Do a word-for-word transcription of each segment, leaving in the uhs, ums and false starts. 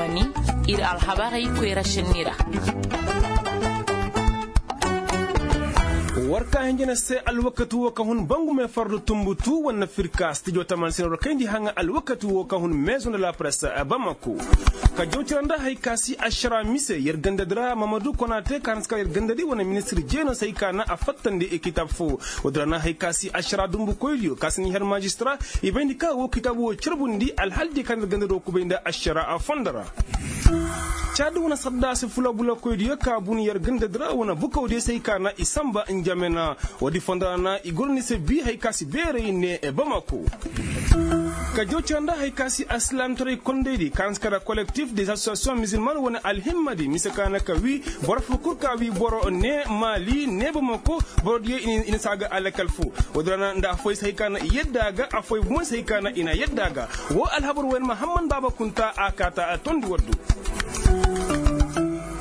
Ir alhabarey koyra šenni ra. War ka hinjina se alwakati wo ka hun bangume fardu tumbutu wane firka stijo taman sina war kayndi haŋa alwakati wo ka hun mezo nda la presse bamako. Ka jawtira nda hari ka si ašara mise yer gandadi ra mamadu konate ka hansi ka yer gandadi wane ministir jeeno se hari ka na a fattandi kitabu fo. Wodira na hari ka si ašara dumbu koydiyo ka si ni her majistra i bayndi ka wo kitabu wo carbundi alhaldi ka na yer gandadi wo kubay nda ašara fondo ra. Caadi wane sadda si fula bula koydiyo ka bun yer gandadi ra wane bukawdiyo se hari ka na i samba njamena. Woodi fondo ra na i goro ni se bi hari ka si beeray ne bamako. Ka jaw cira nda hari ka si alsilaamtaray kondaydi ka na si kara kolektif des asosiyasiyoŋ mizilman wane alhimmadi mise ka na ka wi boro fo kul ka wi boro ne maali ne bamako. Borodiyo i na si a ga alakal fo. Woodi ra na nda afoy se hari ka na i yadda a ga afoy bumo se hari ka na i na yadda a ga. Woo alhabar wayne mahamman baaba kunta a kaata a tondi waddu.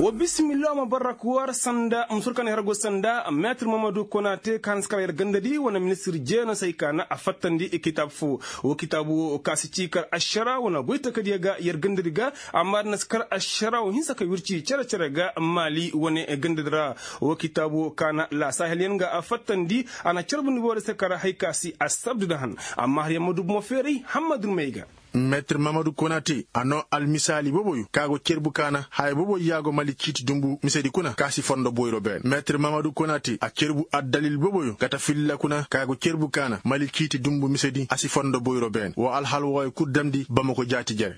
Wa bisimillah ma barrak war sanda musur kan hergo sanda metir mamadu konate kan skara yer gandadi wana ministir jeno sai kana a fattandi kitab fo. Wa kitabu kasi cikar ashara wana goita kadiya ga yer gandadi ga amma na skar ashara wa hinsa ka wirci cere cere ga mali wane gandadi ra. Wa kitabu kana la sahel yan ga a fattandi ana carbundi wore sakara haikasi asabdu dahan. Amma har yamma dubu mo ferai hammadun mai ga. Metir mamadu konate a noo almisaali boboyo ka go cerbu kaana haya boboyo yaago mali ciiti dumbu misedi kuna ka si fondo boyro beene metir mamadu konate a cerbu addalil boboyo gata filla kuna ka go cerbu kaana mali ciiti dumbu misedi a si fondo boyro beene woo alhal wooyo kul damndi bamako jaati jere.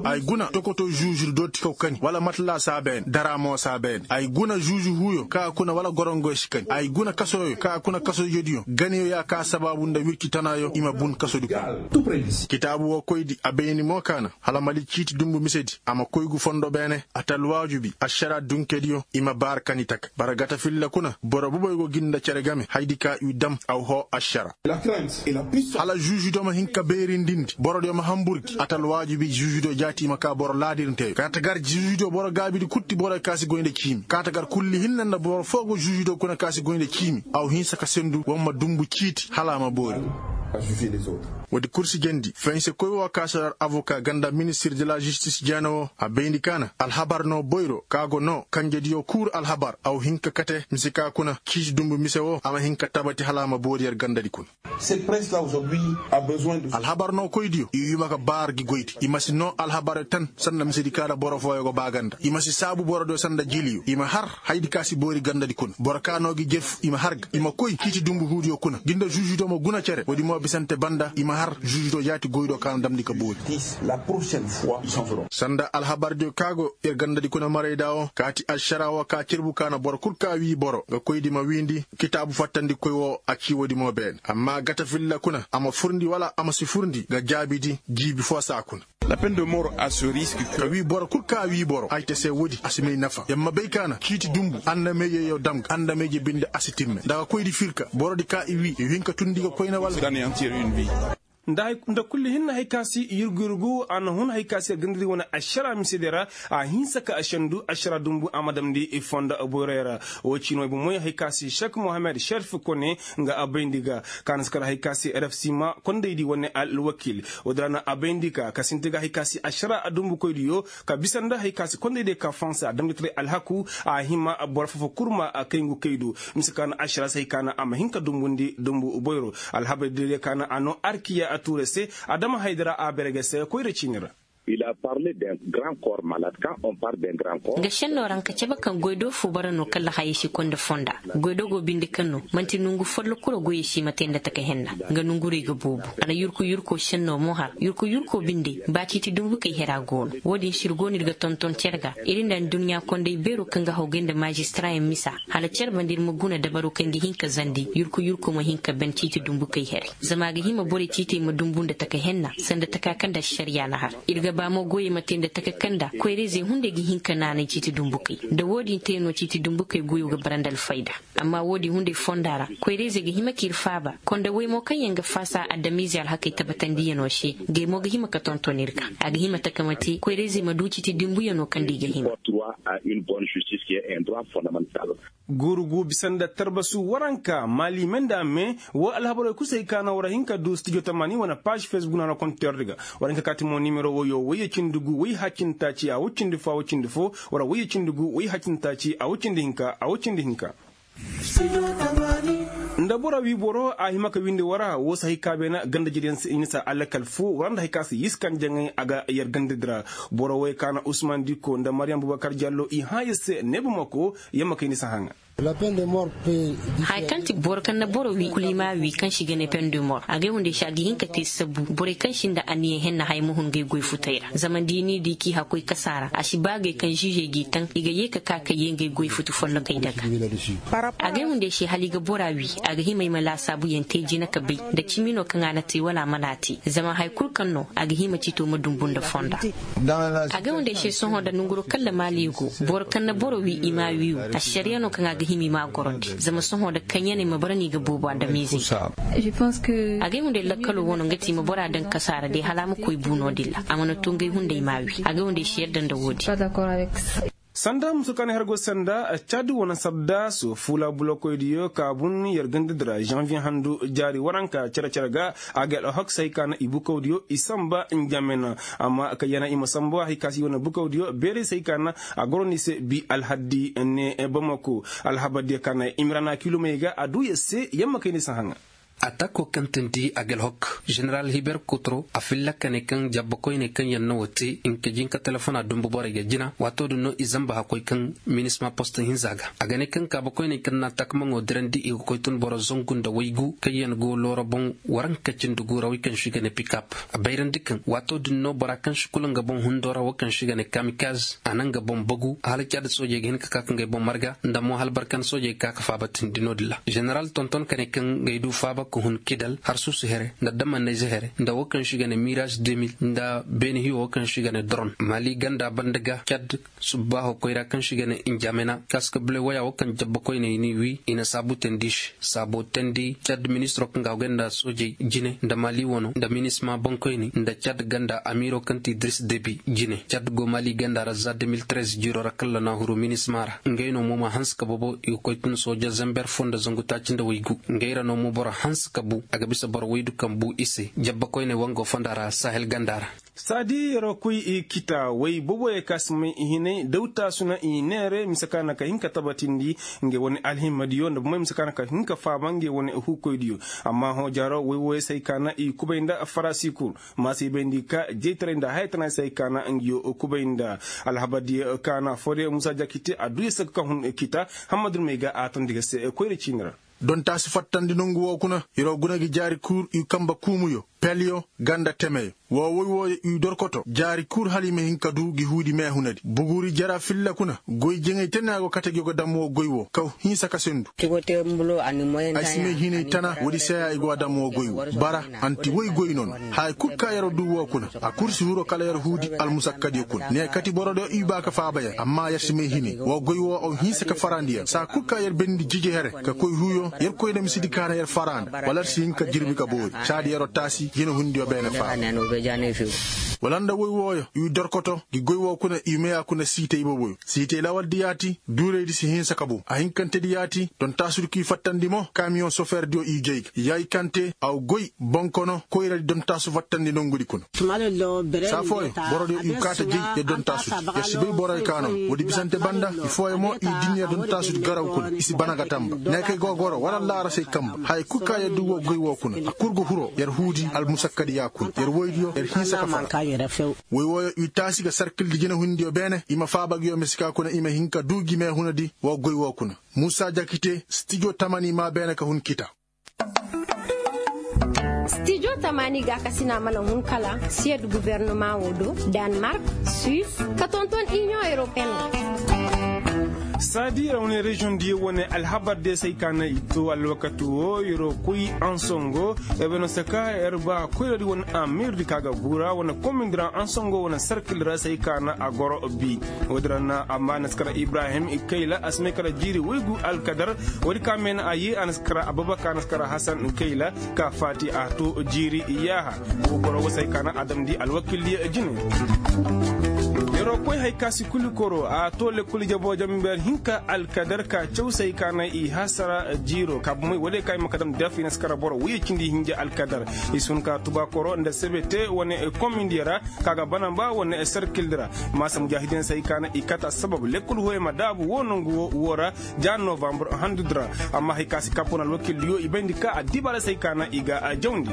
Ay guna tokoto juužu dooti kaw kani wala matla saa beene dara moo saa beene ay guna juužu huuyo ka kuna wala gorongoy si kani ay guna kasoyo ka kuna kasoyodiyo ganiyo yaa ka sabaabu nda wirci tanaayo i ma bun kasodi kuna. Kitaabu woo koydi a bayni mo kaana hala mali ciiti dumbu misedi a ma koy gu fondo beene a ta alwaajubi ašara dunkediyo i ma baara kani taka bara gata filla kuna boro boboy go gi nda cere game haydi ka i dam aw hoo ašara. Hala juužudo ma hin ka beerindindi borodiyo ma hamburgi a ta alwaajubi juužudo jaati i ma ka boro laadirnteyo kaata gar juužudo boro gaabidi kutti boroyo ka si goy nda ciimi kaata gar kulli hinne nda boro foo go juužudo kuna ka si goy nda ciimi aw hinsa ka sendu wa ma dumbu ciiti hala a ma boori. Woodi kursi jandi fense koy woo ka si har avoka ganda ministir de la žistis jeena woo a bayndi kaana alhabar noo boyro ka go noo kanjediyo kuur alhabar aw hin ka kate mise ka kuna ciiti dumbu mise woo a ma hin ka tabati hala a ma boori yer gandadi kuna. Alhabar noo koydiyo i hima ka baar gi goydi i ma si noo alhabar tan sanda misedi ka nda boro fooyo go baaganda i ma si saabu borodiyo sanda jiliyo i ma har haydi ka si boori gandadi kuna boro ka noo gi jerfu i ma har ga i ma koy ciiti dumbu huudiyo kuna gi nda žuužudo ma guna cere woodi mo bisante banda i ma har žuužudo jaati goydo ka na damndi ka boori. Sanda alhabardiyo ka go yer gandadi kuna marayda woo kaati ašara woo ka cerbu ka na boro kul ka wii boro nga koydi ma wiindi kitaabu fattandikoy woo a cii woodi mo beene amma gata filla kuna a ma furndi wala a ma si furndi nga jaabidi jiibi foo saa kuna. Ka wii boro kul ka wii boro ay te se woodi a si may nafa yer ma bay ka na ciiti dumbu andamayjeyo dam ga andamayje binde a si timme nda ga koydi fir ka borodi ka i wii i hin ka tundi ga koyna wala. Nda kulli hinna hay ka si yurgu yurgu a na hun hay ka si gandadi wane ašara misedi ra a hinsa ka a sendu ašara dumbu a ma damndi i fonda boyroyo ra. Woo ciino ay bomoy hay ka si šek mohammed šerif kone nga a bayndi ga ka na si kar hay ka si rfc ma kondaydi wane alwakil. Woodi ra na a bayndi ka ka sinti ga hay ka si ašara dumbukoydiyo ka bisa nda hay ka si kondaydiyo ka fansa a damndi taray alhaku a hima boro foo foo kul ma kay ngu kay du. Mise ka na ašara se hay ka na a ma hin ka dumbundi dumbu boyro. Alhabar dede ka na a noo arkiya a tuure se adama haydara a berege se koyra ciini ra. Nga šennoo ra nga cabe kaŋ goydo foo bara no kalla hayey si koy nda fonda. Goydo go binde kaŋ no man'ti nongu follo kul ra goyey si ma te nda taka henna. Nga nongurey ga boobo a na yurku yurko šennoo mo har yurku yurko binde ba ciiti dumbukey hera go no. Woo din se ir go no ir ga tonton cere ga ir nda adduɲɲa konday beero kaŋ ga hawgay nda maazistarayaŋ misa hala cere banda ir ma guna dabaro kaŋ ga hin ka zandi yurku yurko ma hin ka ban ciiti dumbukey herey. Zama a ga hima borey ciitey ma dumbu nda taka henna sanda taka kaŋ nda ašariya na har. Ir ga ba mo goyey ma te nda taka kaŋ nda koyra-izey hunday ga hin ka naanay ciiti dumbukey. Nda woo din te no ciiti dumbukey goyo ga bara nda alfayda. Amma woo din hunday fonda ra koyra-izey ga hima k'ir faaba konda wey mo kaŋ yaŋ ga faasa adamize alhakey tabatandiyanoo se. Ngey mo ga hima ka tonton ir ga a ga hima taka ma te koyra-izey ma du ciiti dumbuyanoo kaŋ nda i ga hima. Guuru gu bisa nda tarbasu waranka maali me nda me. Woo alhabaroo kul se hay ka na war hin ka du stijo tamaani wane paaž fesbuk na war konteer di ga. War hin ka kaati mo nimero woyoo woyye cindi gu woy haccin taaci a woy cindi foo a woy cindi foo. War woyye cindi gu woy haccin taaci a woy cindi hinka a woy cindi hinka. Nda boro wii boro a hima ka windi war a woo si hay ka beena ganda jiriyaŋ se i na si a lakal foo war a nda hay ka si yiskan jaŋay a ga yer ganda di ra. Boro woyey ka na usman diko nda mariyam bubakar jallo i hãa yer se neebumako. Yer ma kay ni si hãa ŋaa. Haya kaŋ ti boro kaŋ na boro wii kul i m'a wii kaŋ se i ga ne pendemor a ga ay hunday se a ga hin ka te sabu borey kaŋ sinda aniya henna haya ma hun ngey goy futey ra zama da i n'i di k'i hakkoy kasa ra a si ba agay kaŋ ziizey g'i taŋ i ga yee ka ka ka yee ngey goy futu follokey daga. A ga ay hunday se hala i ga bora wii a ga hima ay ma laasaabuyaŋ te jina ka bay nda cimi no kaŋ a na te wala a mana te zama haya kul kaŋ no a ga hima cito ma dumbu nda fonda. A ga ay hunday se sohõ nda nanguroo kaŋ ra maali go boro kaŋ na boro wii i m'a wii wo. Ašariya no kaŋ a ga hima i m'a gorandi zama sohõ nda kaŋyaney ma bara no i ga boobo adamiizey. A ga ay hunday lakkaloo wano nga ti i ma bora daŋ kasaara day hala a ma koy buu no-din ra a mana too nga ay hunday m'a wii a ga ay hunday se yadda nda woo-din. Sanda musu kaŋ na her go sanda cad wane sardaaso fuula bulokoydiyo ka bun yer ganda di ra zanviye handu jaari waranka cere-cere ga. A ga alhok se hay ka na i bukawdiyo i samba njamena amma kaŋ yana i ma sambu hay ka se i wane bukawdiyo beeray se hay ka na a goro no i se bi alhaddi ne bamako. Alhabardiyo ka na imrana kilomey ga a duu yer se yer ma kay ni si hã ŋaa. Atako kaŋ tindi agalhok ženeral hiber kutro a filla ka ne kaŋ jabba koyney kaŋ yaŋ na woo te nka jinka telefona dumbu borey ga jina waatoo din no i zamba hakkoy kaŋ minisma post hinza ga a ga ne kaŋ kaaba koyney kaŋ na takamaŋo dirandi i ga koy tun boro zangu nda waygu kaŋ yaŋ go looro boŋ waranka cindi gu ra wey kaŋ se i ga ne pikap. A bayrandi kaŋ waatoo din no bora kaŋ se kulu nga boŋ hundo ra wo kaŋ se i ga ne kamikaz a na nga boŋ bagu hala caada soojey ga hin ka ka ka ngey boŋ marga nda mo hala barkan soojey ga ka ka faaba tindi no-din ra ženeral tonton ka ne kaŋ ngey du faaba ka hun kidal harsuusu here nda damannayze here nda wo kaŋ se i ga ne miraz deux mille nda beene hiyo wo kaŋ se i ga ne doron maali ganda banda ga cad. Subbaaho koyra kaŋ se i ga ne njamena kaska bule waya wo kaŋ jabba koyney n'i wii i na saabu teendi se saabo teendi cad ministiro kaŋ ga a goy nda soojey jine nda maali wano nda minisma boŋkoyney nda cad ganda amiiro kaŋ ti diris debi jine cad go maali ganda ra za deux mille treize jiiro ra kalla na huru minisma ra ngey no mo ma hanse ka bobo i ga koy tun sooja zember foo nda zangu taaci nda waygu ngey ra no mo boro hanse ka bu a ga bisa boro waydu kaŋ bu i se jabba koyney wango fonda ra sahel ganda ra. Saadi yer wa koy i kita way boboyey ka si may i hinay dawtaasu na i neere mise ka na ka hin ka tabatindi ngey wane alhimmadiyo nda bomey mise ka na ka hin ka faaba ngey wane huukoydiyo. Amma hõ jaaro way wooyey se hay ka na i kubay nda farasi kul ma se i bayndi ka jeytaray nda hayatanaay se hay ka na nga yo kubay nda alhabardiyo ka na foodiyo muusa jakite a duu yer se ga ka hun kita. Hammadu may ga a tondi ga se koyra ciini ra. Dontaasi fattandi nongu woo kuna yer wa guna gi jaari kuur i kamba kuumuyo pelyo ganda temeyo woo woy wooyo i dorkoto jaari kuur hala i ma hin ka duu gi huudi meehunadi buguuri jara filla kuna goy jeŋay te no a go kate gi go dam woo goy woo kaw hinsa ka sendu. Ay si may hinay tana woodi seeya i go a dam woo goy woo bara anti woy goy nono. Haya kul ka yer duu woo kuna a kul si huru kala yer huudi almusakkadiyo kuna ne kati borodiyo i baa ka faaba yer amma yer si may hinay woo goy woo aw hinsa ka farandi yer saa kul ka yer bendi jiji here ka koy huuyo yer koy na misidi ka na yer faraanda wala yer si hin ka jirbi ka boori saadi yer taasi jinehundiyo beene faaba. Wala nda woy wooyo i dorkoto gi goy woo kuna i meya kuna siitey boboyo siitey lawaldi yaati duuraydi si hinsa ka bow a hinkantedi yaati dontaasudi k'i fattandi mo kamiyoŋ sofeerdiyo i jay ga yaykante aw goy bonkono koyradi dontaasu fattandi nongudi kuna. Saa fooyo borodiyo i kaata jey yer dontaasudi yer si bay boroyo ka no woodi bisante banda i fooyo mo i din yer dontaasudi garaw kuna i si bana ga tamba ne kay gogoro wala laarasey kamba haya kul ka yer duu woo goy woo kuna a kul ga huroo yer huudi almusakkadi ya kuna yer woydiyo yer hinsa ka fara. Woy wooyo i taasi ga sarkildi jinehundiyo beene i ma faaba gi yo mise ka kuna i ma hin ka duu gi meehunadi woo goy woo kuna. Muusa jakite stijo tamani maa beene ka hun kita. Stijo tamani gaakasina mana hun kala siyed gubernama woo do, danmark, suis, ka tonton iniyoŋ europeen. Saadi yer wane reziyoŋ diyo wane alhabar diyo se ay ka na i to alwakati woo yer wo koy ansongo. Yer bay no se ka yer ba koyradi wane amiirdi ka ga guura wane komindi ra ansongo wane sarkil ra se ay ka na a goro bi. Woodi ra na amma a na si kara ibrahim kayla a si may kara jiiri woygu alkadar. Woodi ka me na a yee a na si kara ababakar a na si kara hasan kayla ka faati a to jiiri yaaha. Wo boro wo se ay ka na a damndi alwakildiyo jine. Yer wo koy hay ka si kuli koro a to lekkol jaboo jamber. hinka alkadar ka caw se hay ka na i hasara jiiro ka bomey wala ya ka i ma ka dam def i na si kara boro woyey cindi hinja alkadar. I si hun ka tuba koro nda sebe te wane komindiyo ra ka ga banamba wane serkildi ra. Maasa mujaahidiyaŋ se hay ka na i kata sabab lekkol hooyey ma daabu wo nongu wo ra ja novambar handudi ra. Amma hay ka si kapo na alwakildiyo i bayndi ka addibaara se hay ka na i ga jawndi.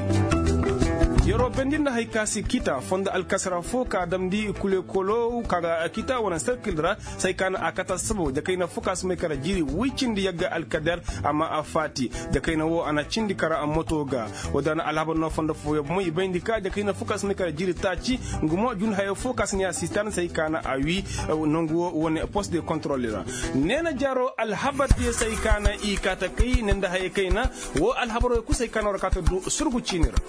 Yeroo bendi nda hay ka si kita fondo alkasara fo ka damndi kulekolo ka ga kita wane serkildi ra. Say ka na a kata sababu jakayna fo ka si may kara jiiri woy cindi yagga alkader. Amma a faati jakayna wo a na cindi kara moto ga. Wo da na alhabar no fondo fooyo bomo i bayndi ka jakayna fo ka si may kara jiiri taaci. Nga mo jun hayo fo ka si ne a sitan say ka na a wi nangu wo wane post de kontrol ra. Neena jaaro alhabar diyo say ka na i kaata kay ne nda hayo kayna. Wo alhabar wo kul say ka na war kaata du surgu ciini ra.